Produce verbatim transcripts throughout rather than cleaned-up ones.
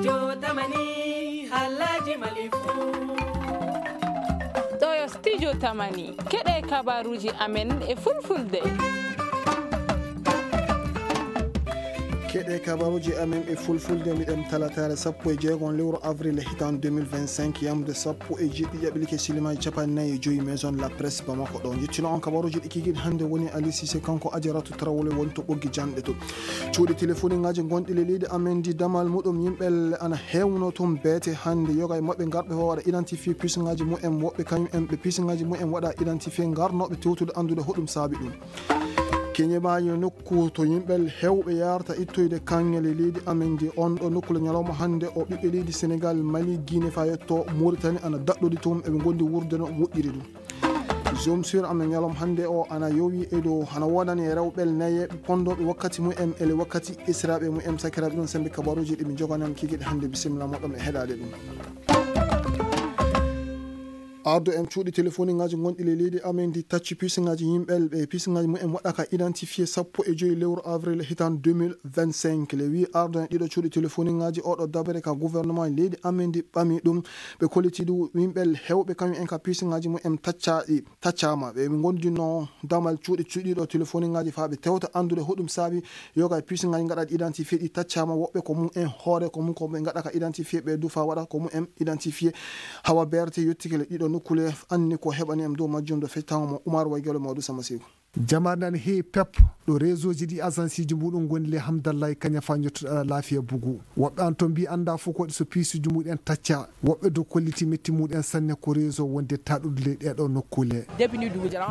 Yo tamani, halaji malifu. Ɗo yo studio tamani. Keɗe kabaruji amen e fulfulde. Keɗe kabaruji amen e fulfulde, mbiɗen talataare sappo e jeego lewru avril hitan deux mille vingt-cinq, yamde sappo e jeeɗiɗi ƴaɓilike silimaji capanɗe nayi e joyi Maison La Presse Bamako. Ɗo jettino on kabaruji ɗi kikiɗe hannde woni Ali Cissé, kanko Ajaratu Tarawle woni to ɓoggi janɗe to. Cuuɗi telefoniŋaaji gonɗi le leydi amen ndi, damal muɗum yimɓe ana heewno toon beete hannde. Yoga e maɓɓe ngarɓe waɗa identifié pisiŋaaji mumen, woɓɓe kañum en ɓe pisiŋaaji mumen waɗa identifié ngarnooɓe tewtude anndude hoɗum saabi ɗum. Keñe maa yo nokku to yimɓe heewɓe yaarta ittoyde kaŋŋe le leydi amen ndi. On ɗo nokku le ñalawma hannde o ɓiɓɓe leydi Senegal, Mali, Guinée faa yetto Mauritanie ana daɗɗodi toon, eɓe ngondi wuurde no moƴƴiri ɗum. Jom sur amen ñalawma hannde o ana yowi e dow, ana woodani e rewɓe nayeeɓe ponndooɓe wakkati mumen, ele wakkati esiraaɓe mumen, sakiraaɓe ɗum sembe kabaruuji ɗi min njogani on kikiɗe hannde. Bisimilla moɗon e heɗaade ɗum. Ardo en cuuɗi telefoniŋaaji gonɗi le leydi amen ndi tacci pisiŋaaji yimɓe ɓe pisiŋaaji mumen waɗaka identifié sappo e joyi lewru avril hitan deux mille vingt-cinq. Le wi ardo en ɗiɗo cuuɗi telefoniŋaaji oɗo dabere ka gouvernement leydi amen ndi ɓami ɗum. Ɓe kolliti ɗum yimɓe heewɓe kañum en ka pisiŋaaji mumen taccaɗi, taccaama. Ɓe ɓe ngondinoo damal cuuɗi cuuɗiɗo telefoniŋaaji faa ɓe tewta anndude hoɗum saabi yoga e pisiŋaaji ngaɗaɗi identifié ɗi taccaama. Woɓɓe ko mum en hoore, ko mum ko ɓe ngaɗa ka identifié ɓe du faa waɗa ko mum en identifié. Hawa beerte yottike le ɗiɗo nokkule anni ko heɓani em dow majjum do fectango mo Umar Waygelo Mawdu Sama Seeku. Jamaare nani heewi pep ɗo réseau ji ɗi agence ji muɗum ngoni le Hamdallah e Kaña faa njottuɗo ala laafiya bugu. Woɓɓe an to mbi annda fof ko waɗi so piisuji muɗen tacca. Woɓɓe do kolliti metti muɗen sanne ko réseau wonde taɗude ley ɗeɗo nokkule.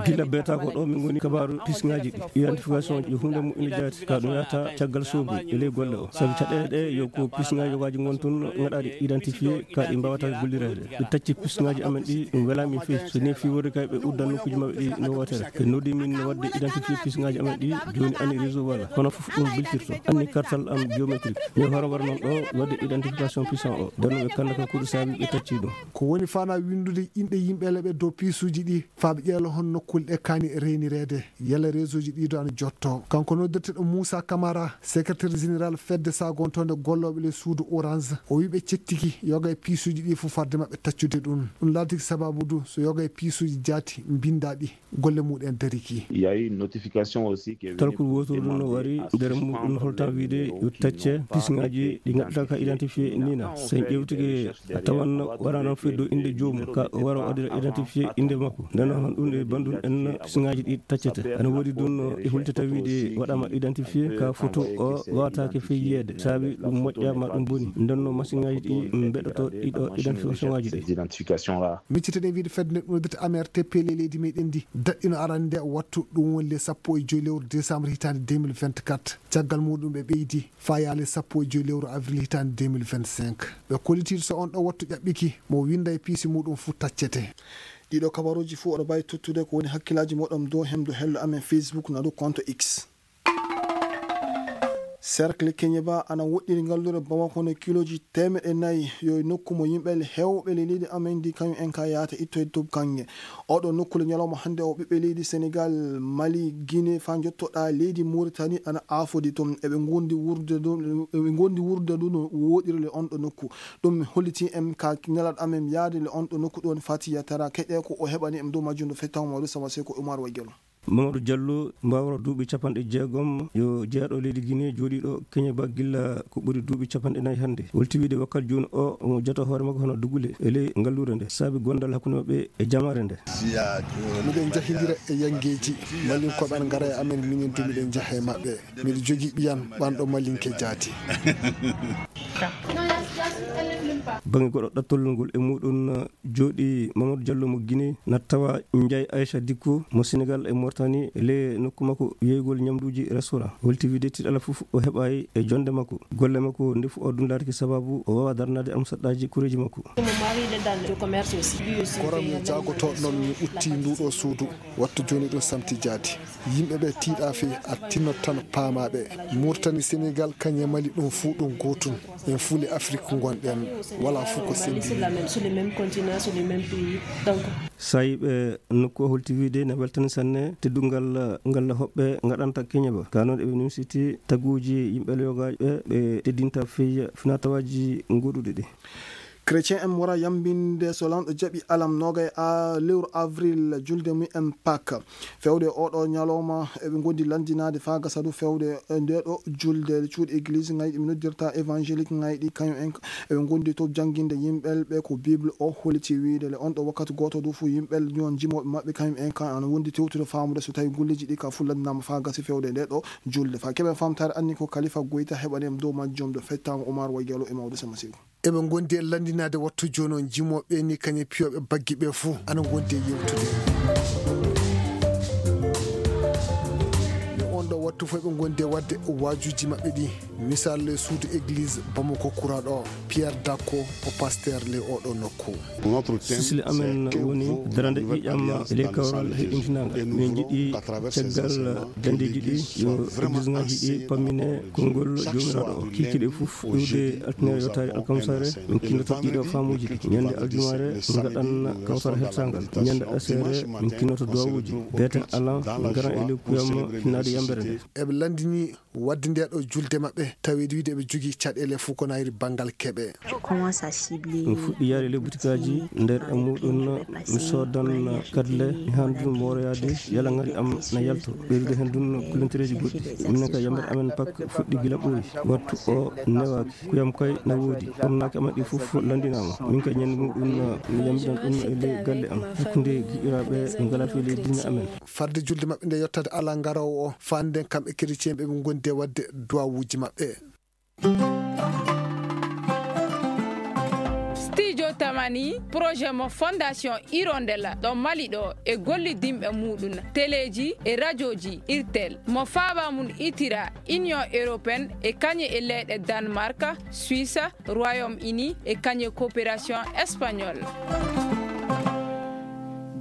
Gila beeta ko ɗo min ngoni kabaru pisiŋaaji ɗi. Identification yo hunde mu ina jaati ka ɗum yahata caggal soogu e ley golle o. Sabi caɗeele ɗe yo ko pisiŋaaji yogaaji ngon tun ngaɗaɗi identifié ka ɗi mbawata gollireede. Ɓe tacci pisiŋaaji amen ɗi ɗum welaami feewi. So ni fi wori kay ɓe uddan nokkuuji maɓɓe ɗi no wootere. Ɓe noddi min no waɗde identifié pisiŋaaji amen ɗi. Jooni ani réseau wala. Kono fof ɗum biltirto. Anni kartal am biométrique. Mi hoore war noon ɗo waɗde identification puissant o. Nden ɓe kanda ka kuɗo saabi ɓe tacci ɗum. Ko woni fana winndude inɗe yimɓe leɓe dow piisuuji ɗi faa ɓe ƴeewa hol nokkuule ɗe kaani reynireede. Yalla réseau ji ɗi do ana jotto. Kanko noddirteɗo Moussa Camara, secrétaire général fedde sagontonde gollooɓe le suudu Orange, o wi ɓe cettiki yoga e piisuuji ɗi fof fadde maɓɓe taccude ɗum. Ɗum laatiki sababu du so yoga e piisuuji jaati mbinda ɗi, golle muɗen dariki. Il y a eu une notification aussi qui est venue Talkol pour wotoro ɗum no demander wari à nder suspendre muɗum holtan les wiide yo tacce pisiŋaaji ɗi ngaɗata ka identifié nina. So en ƴewtike a tawan wara noon feddo innde joomum ka o wara o waɗira identifié innde makko. Nden noon ɗum e banndum en pisiŋaaji ɗi taccete. Ana woodi ɗum no e hultata wiide waɗama identifié ka photo o wawataake fey yiyeede. Saabi ɗum moƴƴa ma ɗum boni. Nden noon masiŋaaji ɗi mbeɗoto ɗiɗo identification ŋaaji ɗi. Micciteɗen wiide fedde nde ɗum noddata A M R T P le leydi meɗen ndi daɗɗino arande nde wattu ɗum woni le sappo e joyi lewru décembre hitaande deux mille vingt-quatre. Caggal muɗum ɓe ɓeydi faa yaale sappo e joyi lewru avril hitaande deux mille vingt-cinq. Ɓe kollitiiɗo so on ɗo wattu ƴaɓɓiki mo winda e piisi muɗum fuu taccete. Ɗiɗo kabaruuji fuu oɗo mbaawi tottude ko woni hakkillaaji moɗon dow hemdo hello amen Facebook na dow compte X. Cercle Keñeba ana woɗɗiri ngalluure Bamako no kilooji teemeɗe nayi yo e nokku mo yimɓe heewɓe le leydi amen ndi kañum en ka yaata ittoyde to kaŋŋe. Oɗo nokku le ñalawma hannde o ɓiɓɓe leydi Senegal, Mali, Guinée faa njottoɗaa leydi Mauritanie ana aafodi toon. Eɓe ngondi wuurde ɗum, eɓe ngondi wuurde ɗum no woɗɗiri le on ɗo nokku. Ɗum holliti en ka nelaɗo amen yaade le on ɗo nokku ɗon Fatiya Tara keɗe ko o heɓani em dow majjum no fettaw Mawɗo Sama Seko Umar Wagelo. Mamadou Diallo, mbaawro duuɓi capanɗe jeegom, yo jeyaaɗo leydi Guinée jooɗiiɗo Keñeba gilla ko ɓuri duuɓi capanɗe nayi hannde. Holti wiide wakkati jooni o, omo jota hoore makko hono dugule e ley ngalluure nde, saabi gondal hakkunde maɓɓe e jamaare nde. Miɗen njahindira e yanngeeji, mallinkooɓe ana ngara e amen, minen du miɗen njaha e maɓɓe. Miɗo jogii ɓiyan ɓanɗo malinke jaati. Baŋnge goɗɗo ɗattol ngol e muɗum jooɗi Mamadou Diallo mo Guinée, na tawa Ndiaye Aïcha Dicko mo Sénégal e Mauritanie, le nokku makko yeygol ñamduuji restaurant. Holti wiide tiiɗalla fof o heɓaay e jonde makko. Golle makko ndefu o dundaatake sababu o waawaa darnaade almusaɗɗaaji koreeji makko. Koram mi jaagotooɗo noon mi utti nduɗo suudu. Wattu jooni ɗum samti jaati. Yimɓe ɓe tiiɗa fey a tinnot tan paamaɓe. Mauritanie, Sénégal, kañe Mali ɗum fuu ɗum gootun. En fuu le Afrik ngonɗen. Voilà, fof ko sembi. Sur la même, sur le même continent, sur le même pays. Donc, sayiiɓe nokku o holti wiide ne weltani sanne teddungal ngal hoɓɓe ngaɗanta keñe ba. Ka noon eɓe nimsiti taguuji yimɓe yogaaɓe ɓe teddinta fey finatawaaji goɗuɗi ɗi. Chrétien en wara yambinde so lanɗo jaɓi alam nogay a lewru avril julde mum en Pâques. Fewde oɗo ñalawma eɓe ngondi lanndinaade faa gasa du fewde nde ɗo julde cuuɗi église ngayɗi mi noddirta évangélique ngayɗi kañum en eɓe ngondi to jannginde yimɓel ɓe ko Bible o holiti wiide le on ɗo wakkati gooto du fof yimɓel ñoon jimooɓe maɓɓe kañum en kan ana wondi tewtude faamude so tawi golleji ɗi ka fof lanndinaama faa gasi fewde nde ɗo julde. Faa keɓen famtaare anni ko Kalifa Goyta heɓani en dow majjum do fettaango Omar Waygalo e Mawdo Sama Seeku. Eɓe ngondi e lanndinaade wattu jooni on jimooɓe ni kañe piyooɓe baggi ɓe fof ana ngondi e yewtude. Nde on ɗo wattu fof eɓe ngondi e waɗde waajuuji maɓɓe ɗi. Misal le suudu église Bamako Kura ɗo, Pierre Dakko o pasteur le oɗo nokku. Sisli amen woni darande ƴiiƴam e ley kawral heɓintinaangal. Min njiɗi caggal dandeeji ɗi yo église ngaji ɗi pammine konngol joomiraaɗo o. Kiikiiɗe fof iwde altine yottaade alkamsare, min kinnoto ɗiɗo faamuuji ɗi. Ñande aljumaare, min ngaɗan kawsara heltaangal. Ñande aseere, min kinnoto duwawuuji. Beete alan, min ngaran e ley kuyam finnaade yambere nde. Eɓe lanndini waɗde nde ɗo julde maɓɓe, taweede wiide eɓe jogii caɗeele fof ko nayri banngal keɓe. Mi fuɗɗi yaade ley butikaaji, nder e muɗum mi soodan kadle, mi haani ɗum mooroyaade, yala ngari am na yalto, ɓeydude heen ɗum kulontereeji goɗɗi. Minen ka yamre amen pak fuɗɗi gila ɓooyi, wattu o newaaki, kuyam kay na woodi, ɗum naaki amen ɗi fof lanndinaama. Min ka ñande muɗum mi yambiran ɗum e ley galle am, hakkunde giƴiraaɓe ɓe ngalaa fii ley diine amen. Farde julde maɓɓe nde yottaade alaa ngaroowo o, faanden kamɓe chrétien ɓe ɓe ngondi e waɗde duwawuuji maɓɓe. Studio Tamani, projet mo Fondation Hirondelle ɗo Mali ɗo e gollidinɓe muɗum, teleeji e rajooji Irtel, mo faaba mum itira Union Européenne e kañe e leyɗe Danemark, Suisse, Royaume-Uni e kañe coopération espagnole.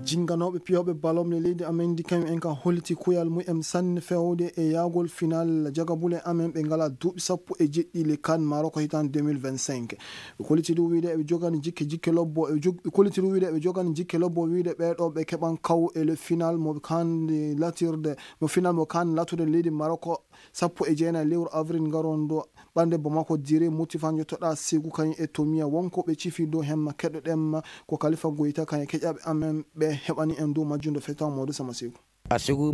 Jinnganooɓe piyooɓe ballon le leydi amen ndi kañum en ka holliti kuyal mum en sanne fewde e yahgol final jagabule amen ɓe ngala duuɓi sappo e jeɗɗi le CAN Maroc hitande deux mille vingt-cinq. Ɓe kolliti ɗum wiide eɓe jogani jikke, jikke lobbo, ɓe jog-, ɓe kolliti ɗum wiide eɓe jogani jikke lobbo wiide ɓee ɗo ɓe keɓan kaw e le final mo CAN latirde, mo final mo CAN latude leydi Maroc sappo e jeenayi lewru avril ngarondo. Ɓannde Bamako Dire, Moutifa Njottoɗa Segu kañum e Tomiya wonko ɓe cifi dow hemma keɗoɗen ma ko Kalifa Goyta kañum e keƴaɓe amen ɓe heɓani en dow majjum do fettaw Mawdo Sama Segu. Gasegu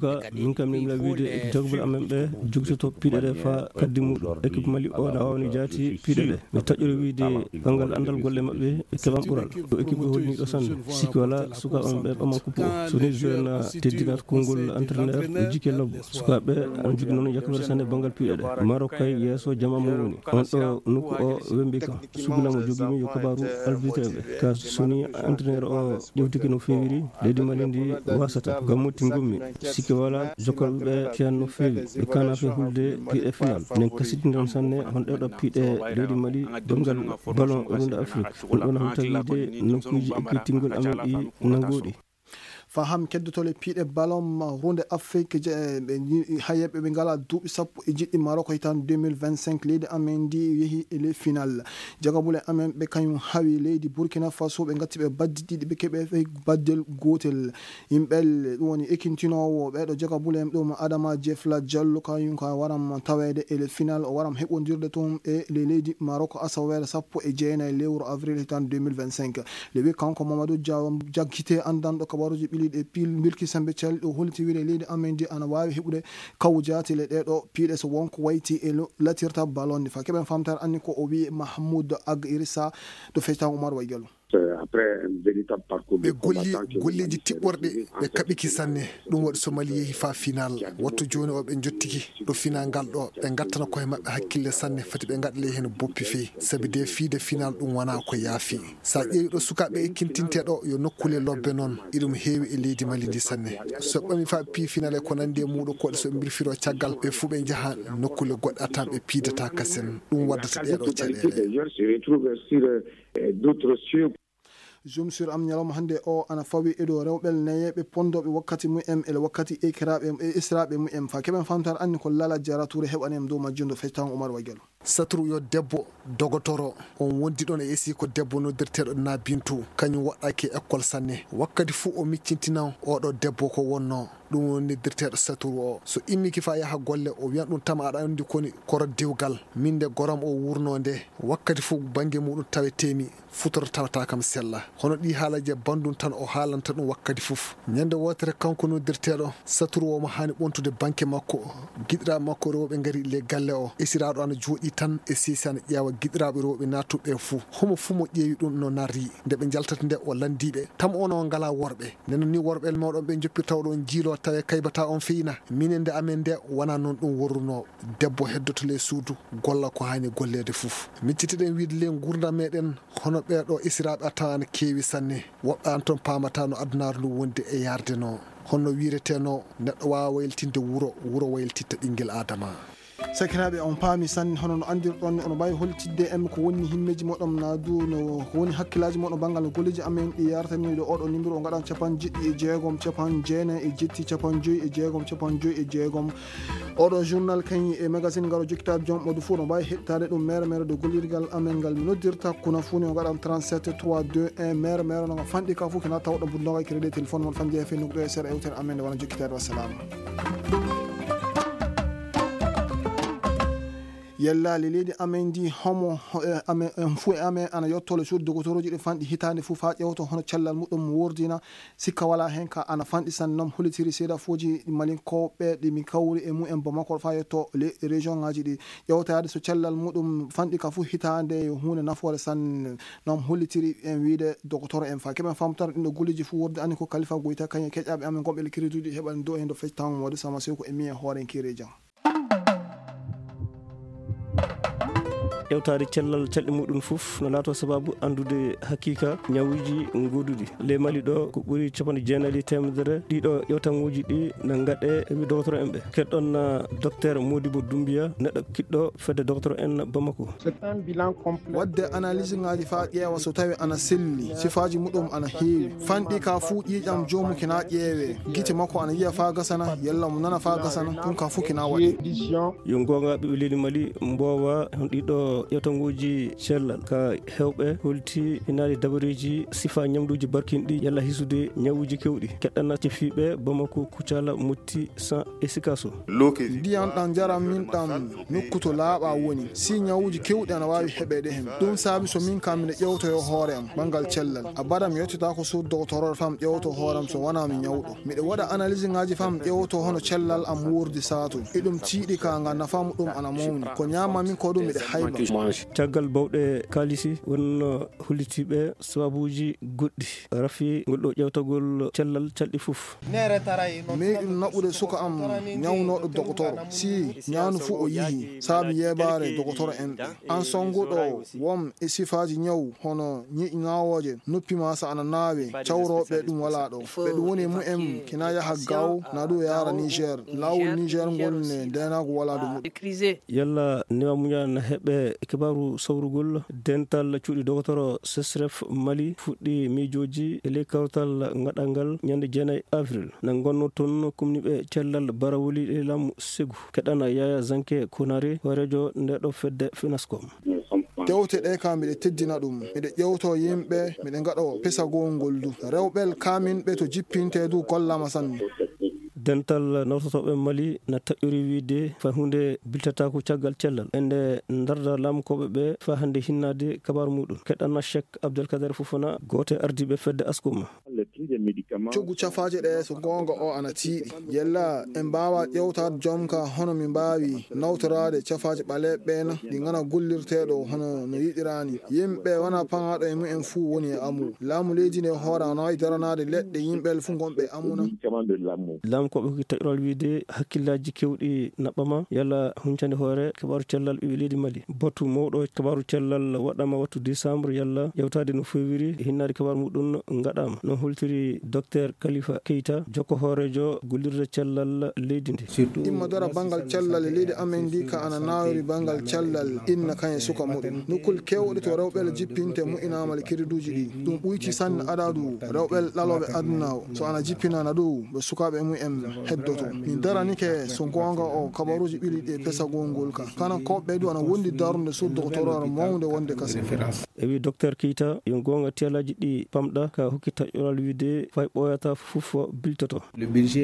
ka min kam min mila wiide jogɓe amen ɓe jogitoto piɗe ɗe fa kaddi muɗum. Équipe Mali o na wawni jaati piɗe ɗe. Mi taƴƴori wiide banngal anndal golle maɓɓe e keɓan ɓural. Ɗo équipe ɗo holni ɗo sanne. Sikki wala sukaaɓe am ɓe ɓaman coupe o. So ni joueur na teddinat konngol entraîneur e jikke lobbo. Sukaaɓe ɓe ana jogii noon yakobere sanne banngal piɗe ɗe. Maroc kay yeeso jama mum woni. On ɗo nokku o wembi kam. Sugula mo jogimi yo kabaru arbitre ɓe. Ka so ni entraîneur o ƴewtike no feewiri, leydi Mali ndi wasata. Ngam motti ngummi. Sikki wala jokkolɓe ɓe ceyan no feewi. Ɓe kana fe hulde piɗe final. Nen kasitinɗen sanne hon ɗeɗo piɗe leydi Mali. Banngal ballon runde Afrique. Ɗum ɗon hawta wiide nokkuuji ekkitingol amen ɗi nanguɗi. Faham keddotole piɗe ballon runde Afrique je, ɓe nji-, hayeɓe ɓe ngala duuɓi sappo e jeɗɗi Maroc hitande deux mille vingt-cinq leydi amen ndi yehi e les final. Jagabule amen ɓe kañum hawi leydi Burkina Faso ɓe ngatti ɓe baddi ɗiɗi ɓe keɓe fe baddel gotel. Yimɓe ɗum woni ekintinoowo ɓeɗo jagabule en ɗum Adama Jefla Diallo kañum ka waram taweede e les final o waram heɓondirde toon e le leydi Maroc asawere sappo e jeenayi lewru avril hitande deux mille vingt-cinq. Le wi kanko Mamadou Diaw jaggite anndanɗo kabaruji ɓiliɗe pil milki sembe cal o holiti wiide leydi amen ndi ana waawi heɓude kaw jaati le ɗeɗo piɗe so wonko wayti e lo-, latirta ballon ni fa keɓen famtare anni ko o wi Mahmoud Ag Irissa do fectan Oumar Waygallo. Ɓe golli golleeji tiɓɓorɗi, ɓe kaɓiki sanne. Ɗum waɗi so Mali yehi faa final, wattu jooni o ɓe njottiki ɗo final ngal ɗo, ɓe ngattana koye maɓɓe hakkille sanne, fati ɓe ngaɗa ley heen boppi fey, sabi de fiide final ɗum wonaa ko yaafi. So a ƴeewi ɗo sukaaɓe e kintinte ɗo, yo nokkule lobbe noon, iɗum heewi e leydi Mali ndi sanne. So ɓami faa pii final e ko nanndi e muuɗo koɗe, so ɓe mbirfiro caggal, ɓe fuu ɓe njaha nokkule goɗɗe a tan ɓe piidata kasen. Ɗum waddata ɗeeɗo caɗeele. Zoom sur am ñalawma hannde o ana fawi e dow rewɓe neyeeɓe ponndooɓe wakkati mumen e wakkati ekiraaɓe e esiraaɓe mumen. Fa keɓen famtaare anni ko Lala Jara Touré heɓani en dow majjum ɗo fectaango Umar Wagel. Satru yo debbo dogotoro, on wondi ɗon e esi ko debbo noddirteeɗo Na Bintu, kañum waɗɗaaki e école sanne. Wakkati fuu o miccintinan oɗo debbo ko wonnoo. Ɗum woni noddirteeɗo Saturu o. So immike faa yaha golle, o wiyan ɗum tama aɗa anndi koni koro dewgal. Min nde goram o wurnoo nde, wakkati fof bannge muɗum tawetee-mi, futoro tawata kam sella. Hono ɗii haalaji e banndum tan o haalanta ɗum wakkati fof. Ñande wootere kanko noddirteeɗo Saturu o mo haani ɓontude banke makko, giɗiraaɓe makko rewɓe ngari le galle o. Esiraaɗo ana jooɗii tan e seesi ana ƴeewa giɗiraaɓe rewɓe naattuɓe ɓe fuu. Homo fuu mo ƴeewi ɗum no narri. Nde ɓe njaltata nde o lanndii ɓe, tama onon on ngalaa worɓe? Nden noon ni worɓe mooɗon ɓe njoppirta oɗon njiiloo tawe kaybataa on feyna. Minen nde amen nde wonaa noon ɗum worrunoo. Debbo heddoto le suudu, golla ko haani golleede fof. Miccitiɗen wiide le nguurndam meɗen hono ɓee ɗo esiraaɓe a tawan ana keewi sanne. Woɓɓe an toon paamataa no adunaaru ndu wondi e yaarde noo. Honno wiiretee noo neɗɗo waawa waylitinde wuro, wuro waylititta ɓinngel Aadama. Sakiraaɓe, on paami sanne, hono no anndirɗon, oɗon mbaawi hollitinde en ko woni himmeeji mooɗon, naa du no ko woni hakkillaaji mooɗon banngal no golleeji amen ɗi yartanii ɗo oɗo numéro, o ngaɗan capanɗe jeɗɗi e jeegom, capanɗe jeenayi e jetti, capanɗe joyi e jeegom, capanɗe joyi e jeegom. Oɗo journal kañum e magazine ngaro jokkitaade joom ɓodu fuu, no mbaawi heɗtaade ɗum mere mere ɗo gollirgal amen ngal mi noddirta kuna fuu ni, o ngaɗan trente-sept trois deux un mere mere, no nga fanɗi ka fuu kina tawɗo buddoga crédit téléphone mon fanji e fennugo ɗo e sera ewtere amen nde wona jokkitaade. Wassalaamu. Yellaali leydi amen ndi, homo, eh, amen, eh, fuu e amen ana yotto le suudu dogotoroji ɗi fanɗi hitaande fuu faa ƴewto hono cellal muɗum wurdina. Sikka walaa heen ka ana fanɗi sanne, non hollitiri seedafuuji malinkooɓe ɗi min kawri e mumen Bamako faa yotto le région ŋaaji ɗi. Ƴewtaade so cellal muɗum fanɗi ka fuu hitaande yo huunde nafoore sanne, non hollitiri en wiide dogotoro en faa keɓen famtara ɗin ɗo golleeji fuu wurde ani ko Kalifa Goyta kañum e keƴaaɓe amen gonɓe le crédit ɗi heɓani dow heen ɗo fecci tawngo mawde sama sew ko e mi e hoore en kiireeji am. Ƴewtaade cellal calɗi muɗum fof no laatoo sabaabu anndude hakiika ñawuuji gooduɗi. Ley Mali ɗo ko ɓuri capanɗe jeenayi e teemedere ɗiɗo ƴewtaŋooji ɗi no ngaɗee e dogotoro en ɓe. Keɗɗon, ah, Docteur Modibo Doumbia, neɗɗo kiɗɗo fedde dogotoro en Bamako. Waɗde analyse ŋaaji faa ƴeewa so tawi ana selli sifaaji muɗum ana heewi. Fanɗi ka fuu ƴiiƴam joomum kina ƴeewee. Gite makko ana yiya faa gasana, yalla mo nana faa gasana, ɗum ka fuu kina waɗee. Yo goonga ɓiɓɓe leydi Mali mboowa hon ɗiɗo ƴewtaŋooji cellal ka heewɓe holti hinaade dabareeji sifa ñamduuji barkinɗi yalla hisude ñawuuji kewɗi. Keɗɗana cefiiɓe Bamako, Kucala, Motti, San e Sikaso. Ndiyan ɗan njaran min ɗan nokku to laaɓa woni. Si ñawuuji kewɗi ana waawi heɓeede hen. Ɗum saabi so min kam miɗo ƴewtoyo hoore am banngal cellal. Abada mi yettitaako suudu dogotoro fam ƴewto hoore am so wanaa mi ñawɗo. Miɗo waɗa analyse ŋaaji fam ƴewto hono cellal am wuurdi saatu. E ɗum tiiɗi ka nga nafa muɗum ana mawni. Ko ñaama min ko ɗum miɗo hayba. Caggal bawɗe kaalisi wonno hollitiiɓe sababuuji goɗɗi. Rafi ngol ɗo ƴewtagol cellal calɗi fof. Meeɗi ɗum naɓude suka am ñawnooɗo dogotoro. Si ñaanu fuu o yihi, saabi yeebaare dogotoro en ɓe. An sonnguɗo won e sifaaji ñaw hono ñiiƴi ŋaawooje, noppi maa so ana naawe, cawrooɓe ɗum walaa ɗo. Ɓe ɗum woni e mumen kina yaha Gaaw, na ɗum yaara Niger. Laawol Niger ngol ne ndeenaagu walaa dow muɗum. Yalla newa muñal na heɓe kibaaru sawrugol. Dental cuuɗi dogotoro Sesref Mali fuɗɗi miijooji e ley kawtal ngaɗangal ñande jeenayi avril. Na ngonnoo toon kumniiɓe cellal barawoli e laamu segu. Keɗana Yaya Zanke Konare, hooreejo nde ɗo fedde Finascom. Tewte ɗe ka miɗe teddina ɗum. Miɗe ƴewto yimɓe, miɗe ngaɗo pesagol ngol du. Rewɓe kaaminɓe to jippinte du gollama sanne. Dental nawtotooɓe Mali na taƴori wiide fay huunde biltataako caggal cellal. Ende ndarda laamukooɓe ɓe faa hannde hinnaade kabaaru muɗum. Keɗana Cheikh Abdelkader Fofana, gooto e ardiiɓe fedde Askuma. Coggu cafaaje ɗe so goonga o ana tiiɗi. Yella en mbaawa ƴewtaade joom ka hono mi mbaawi nawtoraade cafaaje ɓaleeɓe ɓe na ɗi ngana gollirteeɗo hono no yiɗiraani. Yimɓe wona paŋaaɗo e mumen fuu woni e amu. Laamu leydi ndi e hoore ana waawi daranaade leɗɗe yimɓe fuu ngonɓe e amu na. Laamu Ko ɓe hokki taƴoral wiyde hakkillaaji keewɗi naɓɓama yalla huncande hoore kabaaru cellal ɓiɓɓe leydi Mali. Batu mawɗo kabaaru cellal waɗama wattu décembre yalla ƴewtaade no feewiri e hinnaade kabaaru muɗum ngaɗama. No holtiri Docteur Khalifa Keita, jokko hooreejo gollirde cellal leydi ndi. Imma dara banngal cellal e leydi amen ndi ka ana naawiri banngal cellal inna kan e suka muɗum. Nokkul keewɗi to rewɓe jippinte mu'inaama le kiriduuji ɗi. Ɗum ɓuyti sanne adadu rewɓe ɗalooɓe aduna o. So ana jippinana ɗum ɓe sukaaɓe mumen heddoto. Min daranike so goonga o kabaruuji ɓili ɗi e pesagol ngol ka. Kanan koɓɓe du ana wondi darnde sur doctoreur mawnde wonde kase. E wi Docteur Keita, yo goonga tiyalaaji ɗi pamɗa ka hokki taƴoral wiyde fay ɓooyata fof biltoto.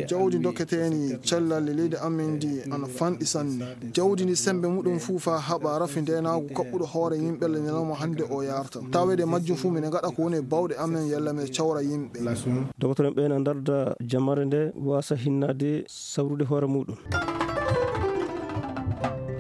Jawdi dokketeeni cellal e leydi amen ndi ana fanɗi sanne. Jawdi ndi sembe muɗum fuu faa haɓa rafi ndeenaagu kaɓɓuɗo hoore yimɓe le ñalawma hannde o yarta. Tawede majjum fuu mine ngaɗa ko woni e bawɗe amen yalla mine cawra yimɓe. Dokotoro en ɓe na ndarda jamare nde wasa hinnaade sawrude hoore muɗum.